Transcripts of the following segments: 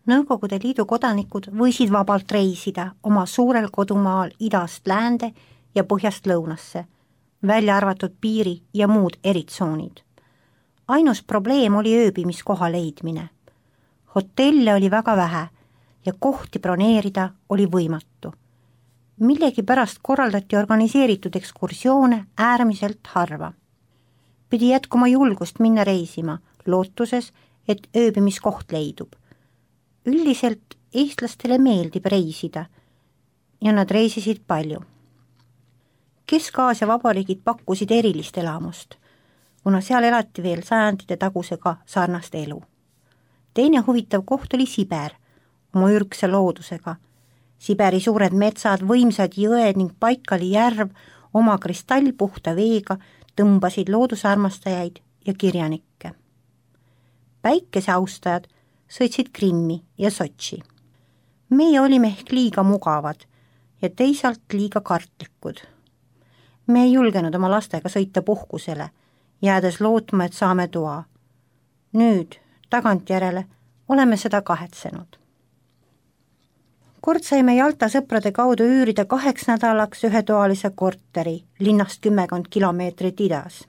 Nõukogude Liidu kodanikud võisid vabalt reisida oma suurel kodumaal idast läände ja põhjast lõunasse, välja arvatud piiri ja muud eritsoonid. Ainus probleem oli ööbimiskoha leidmine. Hotelle oli väga vähe ja kohti broneerida oli võimatu. Millegi pärast korraldati organiseeritud ekskursioone äärmiselt harva. Pidi jätkuma julgust minna reisima, lootuses, et ööbimiskoht leidub. Üldiselt eestlastele meeldib reisida ja nad reisisid palju. Kesk-Aasia vabariigid pakkusid erilist elamust, kuna seal elati veel sajandite tagusega sarnast elu. Teine huvitav koht oli Siber, oma ürgse loodusega. Siberi suured metsad, võimsad jõed ning Baikali järv oma kristallpuhta veega tõmbasid loodusarmastajaid ja kirjanikke. Päikeseaustajad sõitsid Krimmi ja Sotši. Meie olime ehk liiga mugavad ja teisalt liiga kartlikud. Me ei julgenud oma lastega sõita puhkusele, jäädes lootma, et saame toa. Nüüd, tagantjärele, oleme seda kahetsenud. Kord saime Jalta sõprade kaudu üürida 2 nädalaks ühetoalise korteri linnast 10 kilomeetrit idas.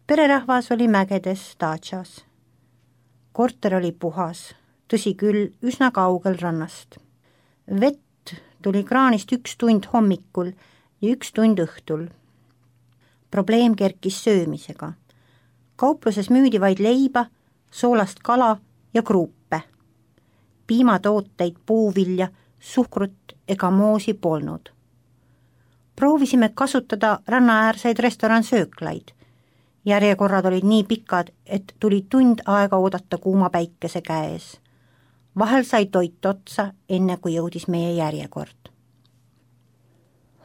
Pererahvas oli mägedes Dačas. Korter oli puhas, tõsi küll, üsna kaugel rannast. Vett tuli kraanist 1 tund hommikul ja 1 tund õhtul. Probleem kerkis söömisega. Kaupluses müüdi vaid leiba, soolast kala ja kruupe. Piimatooteid, puuvilja, suhkrut ega moosi polnud. Proovisime kasutada rannaäärseid restoransööklaid. Järjekorrad olid nii pikad, et tuli tund aega oodata kuuma päikese käes. Vahel sai toit otsa, enne kui jõudis meie järjekord.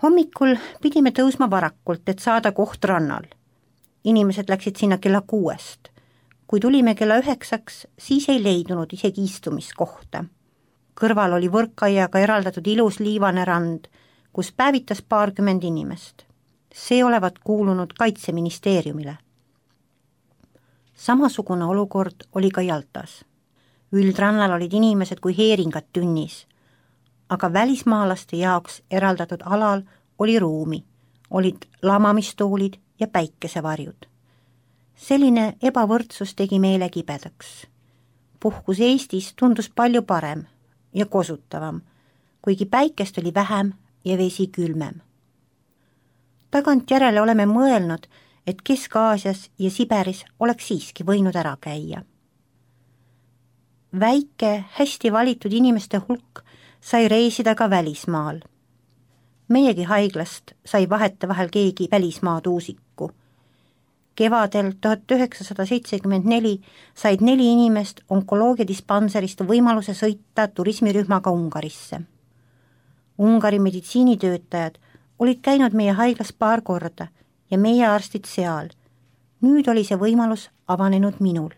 Hommikul pidime tõusma varakult, et saada koht rannal. Inimesed läksid sinna kella 6. Kui tulime kella 9, siis ei leidunud isegi istumiskohta. Kõrval oli võrkaiaga eraldatud ilus liivane rand, kus päevitas 20 inimest. See olevat kuulunud Kaitseministeeriumile. Samasugune olukord oli ka Jaltas. Üldrannal olid inimesed kui heeringad tünnis, aga välismaalaste jaoks eraldatud alal oli ruumi, olid lamamistoolid ja päikesevarjud. Selline ebavõrdsus tegi meile kibedaks. Puhkus Eestis tundus palju parem ja kosutavam, kuigi päikest oli vähem ja vesi külmem. Tagantjärele oleme mõelnud, et Kesk-Aasias ja Siberis oleks siiski võinud ära käia. Väike, hästi valitud inimeste hulk sai reisida ka välismaal. Meiegi haiglast sai vahetevahel keegi välismaad uusiku. Kevadel 1974 said 4 inimest onkoloogiadispanserist võimaluse sõita turismirühmaga Ungarisse. Ungari meditsiinitöötajad olid käinud meie haiglas paar korda ja meie arstid seal. Nüüd oli see võimalus avanenud minul.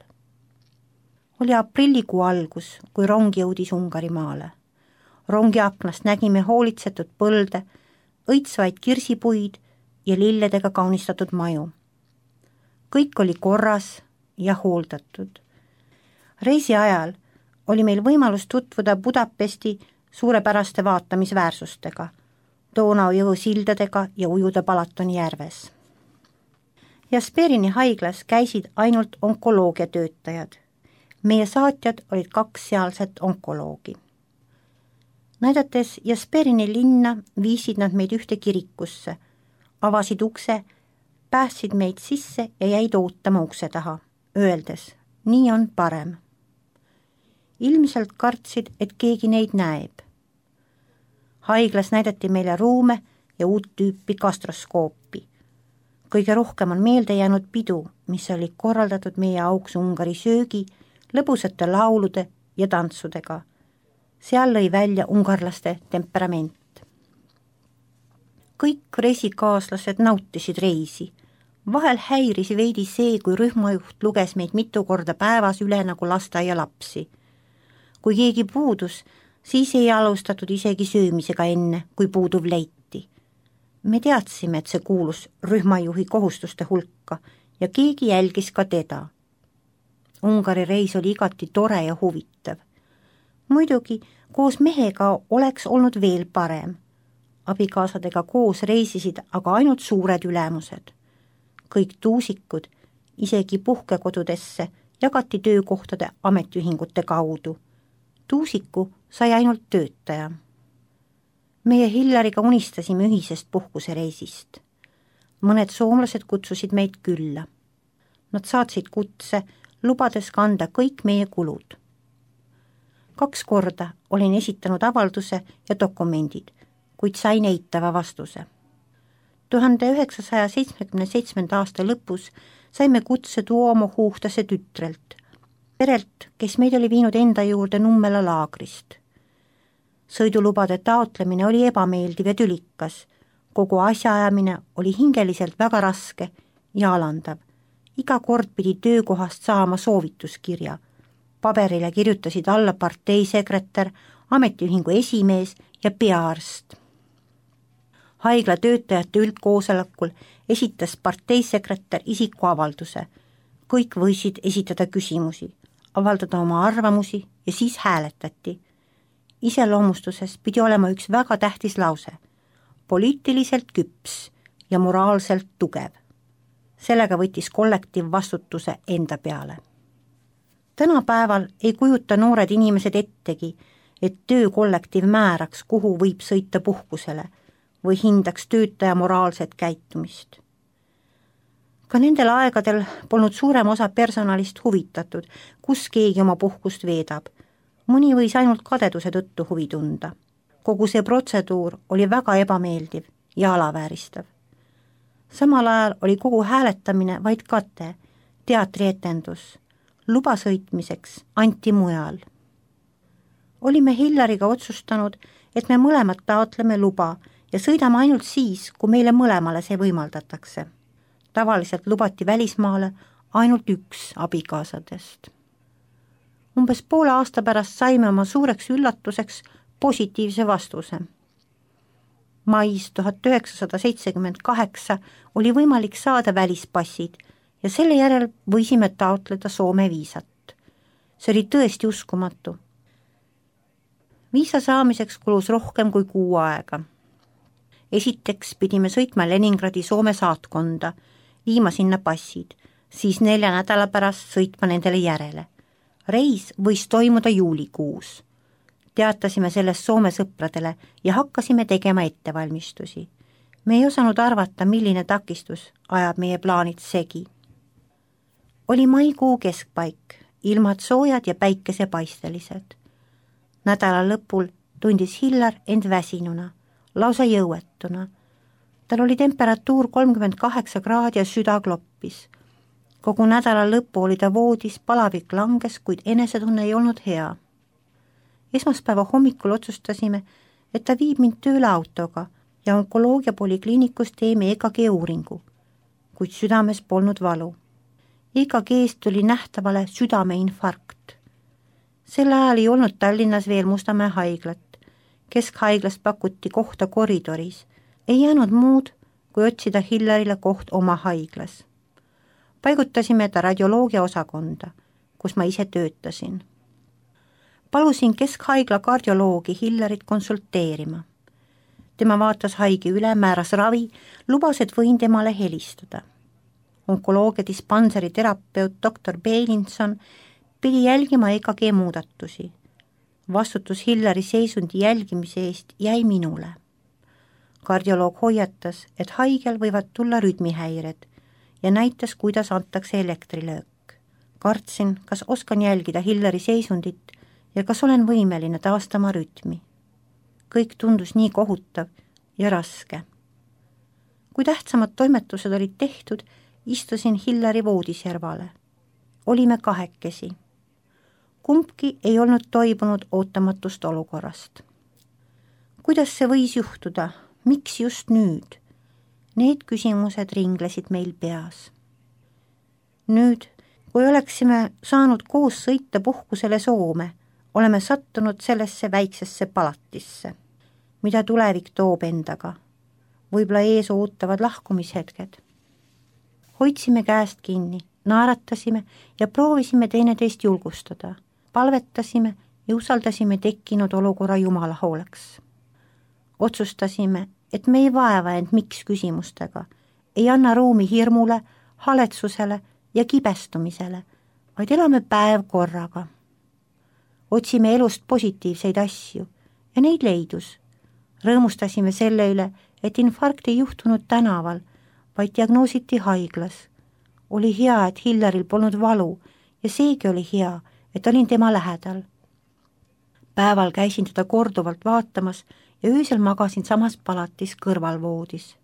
Oli aprillikuu algus, kui rong jõudis Ungarimaale. Rongi aknast nägime hoolitsetud põlde, õitsvaid kirsipuid ja lilledega kaunistatud maju. Kõik oli korras ja hooldatud. Reisi ajal oli meil võimalus tutvuda Budapesti suurepäraste vaatamisväärsustega, Donau jõu sildadega ja ujuda Balatoni järves. Jasperini haiglas käisid ainult onkoloogiatöötajad. Meie saatjad olid 2 sealset onkoloogi. Näidates Jasperini linna viisid nad meid ühte kirikusse, avasid ukse, päästsid meid sisse ja jäid ootama ukse taha, öeldes, nii on parem. Ilmselt kartsid, et keegi neid näeb. Haiglas näidati meile ruume ja uut tüüpi gastroskoopi. Kõige rohkem on meelde jäänud pidu, mis oli korraldatud meie auks Ungari söögi, lõbusate laulude ja tantsudega. Seal lõi välja ungarlaste temperament. Kõik reisikaaslased nautisid reisi. Vahel häiris veidi see, kui rühmajuht luges meid mitu korda päevas üle nagu lasteaia lapsi. Kui keegi puudus, siis ei alustatud isegi söömisega enne, kui puuduv leiti. Me teadsime, et see kuulus rühmajuhi kohustuste hulka ja keegi jälgis ka teda. Ungari reis oli igati tore ja huvitav. muidugi koos mehega oleks olnud veel parem. Abikaasadega koos reisisid aga ainult suured ülemused. Kõik tuusikud, isegi puhkekodudesse, jagati töökohtade ametiühingute kaudu. Tuusiku sai ainult töötaja. Meie Hillariga unistasime ühisest puhkusereisist. Mõned soomlased kutsusid meid külla. Nad saatsid kutse, lubades kanda kõik meie kulud. 2 korda olin esitanud avalduse ja dokumendid, kuid sain eitava vastuse. 1977. aasta lõpus saime kutse Tuomo Huhtase tütrelt, perelt, kes meid oli viinud enda juurde Nummela laagrist. Sõidulubade taotlemine oli ebameeldiv ja tülikas, kogu asjaajamine oli hingeliselt väga raske ja alandav. Iga kord pidi töökohast saama soovituskirja. Paberile kirjutasid alla parteisekretär, ametiühingu esimees ja peaarst. Haigla töötajate üldkoosolekul esitas parteisekretär isikuavalduse. Kõik võisid esitada küsimusi, avaldada oma arvamusi ja siis hääletati. Iseloomustuses pidi olema üks väga tähtis lause: poliitiliselt küps ja moraalselt tugev. Sellega võttis kollektiiv vastutuse enda peale. Tänapäeval ei kujuta noored inimesed ettegi, et töökollektiiv määraks, kuhu võib sõita puhkusele või hindaks töötaja moraalset käitumist. Ka nendel aegadel polnud suurem osa personalist huvitatud, kus keegi oma puhkust veedab. Mõni võis ainult kadeduse tõttu huvi tunda. Kogu see protseduur oli väga ebameeldiv ja alavääristav. Samal ajal oli kogu hääletamine vaid kate, teatrietendus. Luba sõitmiseks anti mujal. Olime Hillariga otsustanud, et me mõlemad taotleme luba ja sõidame ainult siis, kui meile mõlemale see võimaldatakse. Tavaliselt lubati välismaale ainult üks abikaasadest. Umbes poole aasta pärast saime oma suureks üllatuseks positiivse vastuse. Mais 1978 oli võimalik saada välispassid ja selle järel võisime taotleda Soome viisat. See oli tõesti uskumatu. Viisa saamiseks kulus rohkem kui 6 aega. Esiteks pidime sõitma Leningradi Soome saatkonda, viima sinna passid, siis 4 nädala pärast sõitma nendele järele. Reis võis toimuda juulikuus. Teatasime sellest Soome sõpradele ja hakkasime tegema ettevalmistusi. Me ei osanud arvata, milline takistus ajab meie plaanid segi. Oli maikuu keskpaik, ilmad soojad ja päikesepaistelised. Nädala lõpul tundis Hillar end väsinuna, lausa jõuetuna. Tal oli temperatuur 38 kraadi ja süda kloppis. Kogu nädala lõppu oli ta voodis, palavik langes, kuid enesetunne ei olnud hea. Esmaspäeva hommikul otsustasime, et ta viib mind tööle autoga ja onkoloogia polikliinikus teeme EKG uuringu, kuid südames polnud valu. EKG-st tuli nähtavale südameinfarkt. Sel ajal ei olnud Tallinnas veel Mustamäe haiglat. Keskhaiglast pakuti kohta koridoris. Ei jäänud muud, kui otsida Hillarile koht oma haiglas. Paigutasime ta radioloogia osakonda, kus ma ise töötasin. Palusin Keskhaigla kardioloogi Hillarit konsulteerima. Tema vaatas haige üle, määras ravi, lubas, et võin temale helistada. Onkoloogia dispanseri terapeut Dr. Beilinson pidi jälgima EKG muudatusi. Vastutus Hillari seisundi jälgimise eest jäi minule. Kardioloog hoiatas, et haigel võivad tulla rütmihäired ja näitas, kuidas antakse elektrilöök. Kartsin, kas oskan jälgida Hillari seisundit ja kas olen võimeline taastama rütmi. Kõik tundus nii kohutav ja raske. Kui tähtsamad toimetused olid tehtud, istusin Hillari voodiservale. Olime kahekesi. Kumbki ei olnud toibunud ootamatust olukorrast. Kuidas see võis juhtuda? Miks just nüüd? Need küsimused ringlesid meil peas. Nüüd, kui oleksime saanud koos sõita puhkusele Soome, oleme sattunud sellesse väiksesse palatisse, mida tulevik toob endaga. Võib-olla ees ootavad lahkumishetked. Hoidsime käest kinni, naeratasime ja proovisime teineteist julgustada. Palvetasime ja usaldasime tekkinud olukorra Jumala hooleks. Otsustasime, et me ei vaeva end miks küsimustega, ei anna ruumi hirmule, haletsusele ja kibestumisele, vaid elame päev korraga. Otsime elust positiivseid asju ja neid leidus. Rõõmustasime selle üle, et infarkt ei juhtunud tänaval, vaid diagnoositi haiglas. Oli hea, et Hillaril polnud valu ja seegi oli hea, et olin tema lähedal. Päeval käisin teda korduvalt vaatamas ja öösel magasin samas palatis kõrvalvoodis.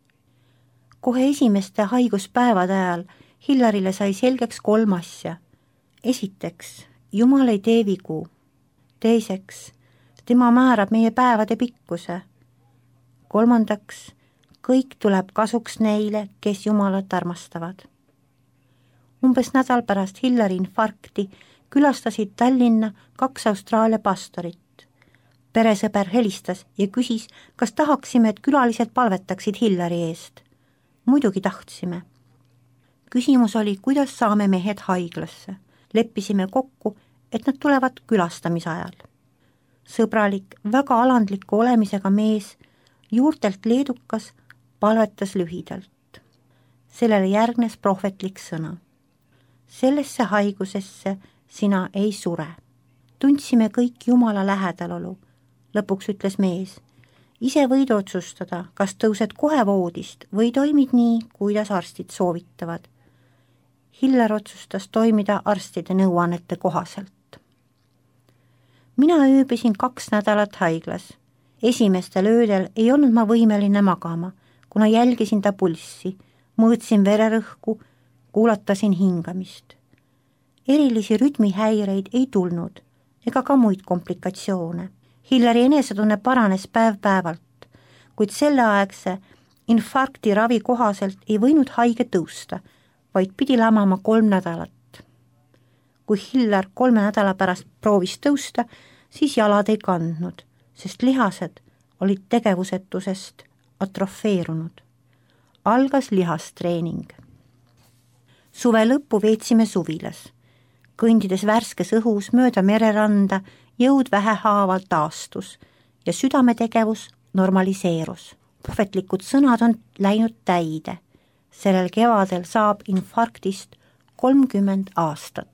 Kohe esimeste haiguspäevade ajal Hillarile sai selgeks 3 asja. Esiteks, Jumal ei tee vigu. Teiseks, tema määrab meie päevade pikkuse. Kolmandaks, kõik tuleb kasuks neile, kes Jumalat armastavad. Umbes nädal pärast Hillari infarkti külastasid Tallinna 2 Austraalia pastorit. Peresõber helistas ja küsis, kas tahaksime, et külalised palvetaksid Hillari eest. Muidugi tahtsime. Küsimus oli, kuidas saame mehed haiglasse. Leppisime kokku, et nad tulevad külastamise ajal. Sõbralik, väga alandliku olemisega mees, juurtelt leedukas, palvetas lühidalt. Sellele järgnes prohvetlik sõna. Sellesse haigusesse sina ei sure. Tundsime kõik Jumala lähedalolu. Lõpuks ütles mees, ise võid otsustada, kas tõused kohe voodist või toimid nii, kuidas arstid soovitavad. Hillar otsustas toimida arstide nõuannete kohaselt. Mina ööbisin 2 nädalat haiglas. Esimestel öödel ei olnud ma võimeline magama, kuna jälgisin ta pulssi, mõõtsin vererõhku, kuulatasin hingamist. Erilisi rütmihäireid ei tulnud ega ka muid komplikatsioone. Hillari enesetunne paranes päev-päevalt, kuid selleaegse infarkti ravi kohaselt ei võinud haige tõusta, vaid pidi lamama 3 nädalat. Kui Hillar 3 nädala pärast proovis tõusta, siis jalad ei kandnud, sest lihased olid tegevusetusest atrofeerunud. Algas lihastreening. Suve lõppu veetsime suvilas. Kõndides värskes õhus mööda mereranda jõud vähehaaval taastus ja südametegevus normaliseerus. Prohvetlikud sõnad on läinud täide. Sellel kevadel saab infarktist 30 aastat.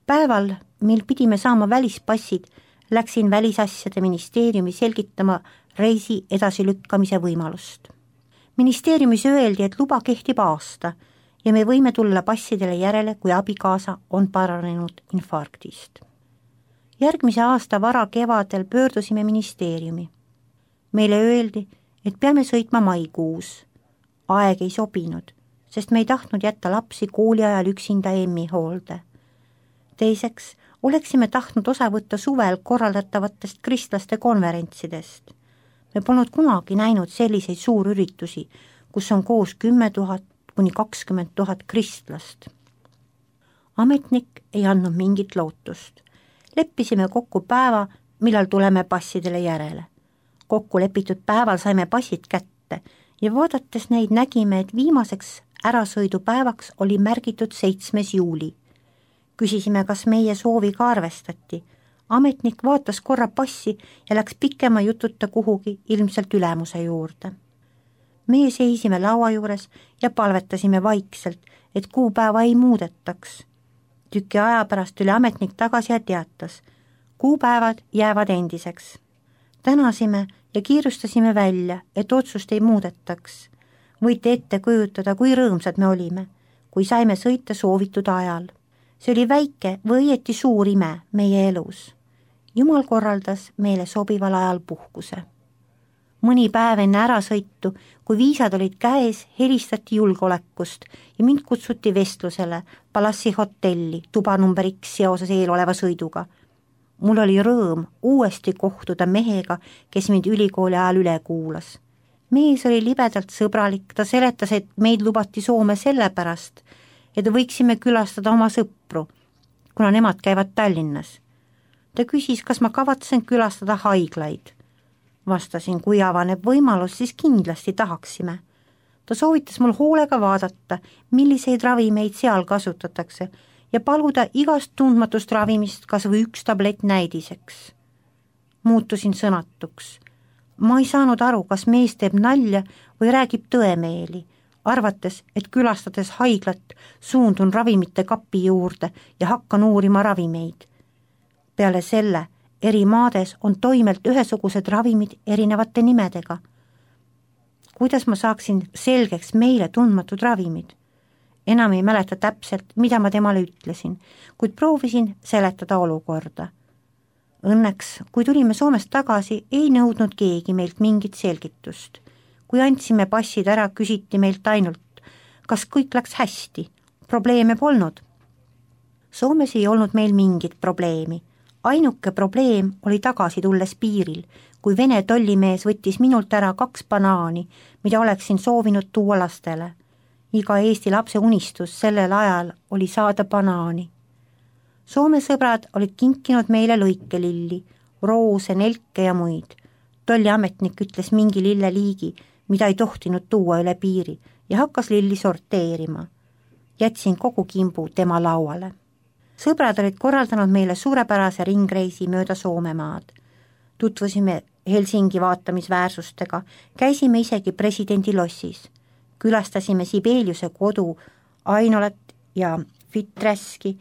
Päeval, mil pidime saama välispassid, läksin välisasjade ministeeriumi selgitama reisi edasilükkamise võimalust. Ministeeriumis öeldi, et luba kehtib aasta ja me võime tulla passidele järele, kui abikaasa on paranenud infarktist. Järgmise aasta vara kevadel pöördusime ministeeriumi. Meile öeldi, et peame sõitma maikuus. Aeg ei sobinud, sest me ei tahtnud jätta lapsi kooli ajal üksinda emmi hoolde. Teiseks, oleksime tahtnud osa võtta suvel korraldatavatest kristlaste konverentsidest. Me polnud kunagi näinud selliseid suurüritusi, kus on koos 10 000 kuni 20 000 kristlast. Ametnik ei andnud mingit lootust. Leppisime kokku päeva, millal tuleme passidele järele. Kokku lepitud päeval saime passid kätte ja vaadates neid nägime, et viimaseks ärasõidupäevaks oli märgitud 7. juuli. Küsisime, kas meie soovi ka arvestati. Ametnik vaatas korra passi ja läks pikema jututa kuhugi ilmselt ülemuse juurde. Meie seisime laua juures ja palvetasime vaikselt, et kuupäeva ei muudetaks. Tüki aja pärast tuli ametnik tagasi ja teatas. Kuupäevad jäävad endiseks. Tänasime ja kiirustasime välja, et otsust ei muudetaks. Võite ette kujutada, kui rõõmsad me olime, kui saime sõita soovitud ajal. See oli väike või õieti suur ime meie elus. Jumal korraldas meile sobival ajal puhkuse. Mõni päev enne ärasõitu, kui viisad olid käes, helistati julgeolekust ja mind kutsuti vestlusele Palassi hotelli tuba number X seoses eeloleva sõiduga. Mul oli rõõm uuesti kohtuda mehega, kes mind ülikooli ajal üle kuulas. Mees oli libedalt sõbralik, ta seletas, et meid lubati Soome sellepärast, et võiksime külastada oma sõpru, kuna nemad käivad Tallinnas. Ta küsis, kas ma kavatsen külastada haiglaid. Vastasin, kui avaneb võimalus, siis kindlasti tahaksime. Ta soovitas mul hoolega vaadata, milliseid ravimeid seal kasutatakse ja paluda igast tundmatust ravimist kas või 1 tablett näidiseks. Muutusin sõnatuks. Ma ei saanud aru, kas mees teeb nalja või räägib tõemeeli, arvates, et külastades haiglat suundun ravimite kapi juurde ja hakkan uurima ravimeid. Peale selle eri maades on toimelt ühesugused ravimid erinevate nimedega. Kuidas ma saaksin selgeks meile tundmatud ravimid? Enam ei mäleta täpselt, mida ma temale ütlesin, kuid proovisin seletada olukorda. Õnneks, kui tulime Soomest tagasi, ei nõudnud keegi meilt mingit selgitust. Kui andsime passid ära, küsiti meilt ainult, kas kõik läks hästi. Probleeme polnud. Soomes ei olnud meil mingit probleemi. Ainuke probleem oli tagasi tulles piiril, kui Vene tollimees võttis minult ära 2 banaani, mida oleksin soovinud tuua lastele. Iga Eesti lapse unistus sellel ajal oli saada banaani. Soome sõbrad olid kinkinud meile lõikelilli, roose, nelke ja muid. Tolliametnik ütles mingi lilleliigi, mida ei tohtinud tuua üle piiri ja hakkas lilli sorteerima. Jätsin kogu kimbu tema lauale. Sõbrad olid korraldanud meile suurepärase ringreisi mööda Soomemaad. Tutvusime Helsingi vaatamisväärsustega, käisime isegi presidendi lossis. Külastasime Sibeliuse kodu Ainolat ja Fiträski,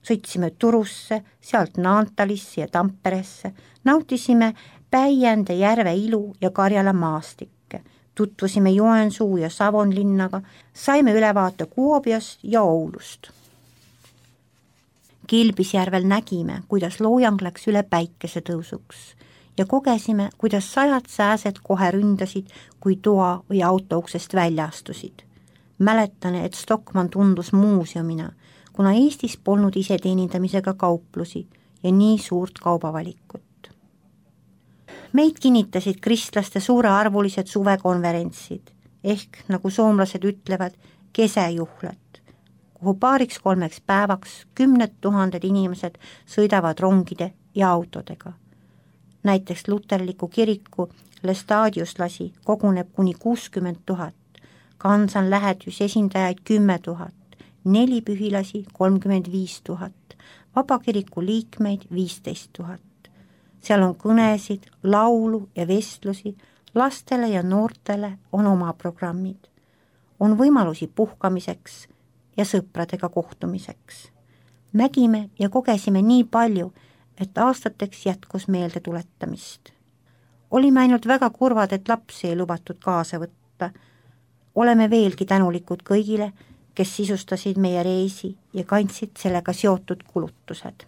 sõitsime Turusse, sealt Naantalisse ja Tamperesse, nautisime Päijände järve ilu ja Karjala maastikke, tutvusime Joensuu ja Savonlinnaga, saime ülevaate Kuopiost ja Oulust. Kilpisjärvel nägime, kuidas loojang läks üle päikesetõusuks ja kogesime, kuidas 100 sääsed kohe ründasid, kui toa või auto uksest välja astusid. Mäletan, et Stockmann tundus muuseumina, kuna Eestis polnud iseteenindamisega kauplusi ja nii suurt kaubavalikut. Meid kinnitasid kristlaste suurearvulised suvekonverentsid, ehk nagu soomlased ütlevad, kesejuhlad, kuhu 2-3 päevaks 10 000 inimesed sõidavad rongide ja autodega. Näiteks luterliku kiriku Lestadiuslasi koguneb kuni 60 000, Kansan lähetus esindajaid 10 000, 4 pühilasi 35 000, vabakiriku liikmeid 15 000. Seal on kõnesid, laulu ja vestlusi, lastele ja noortele on oma programmid. On võimalusi puhkamiseks ja sõpradega kohtumiseks. Nägime ja kogesime nii palju, et aastateks jätkus meelde tuletamist. Olime ainult väga kurvad, et lapsi ei lubatud kaasa võtta. Oleme veelgi tänulikud kõigile, kes sisustasid meie reisi ja kandsid sellega seotud kulutused.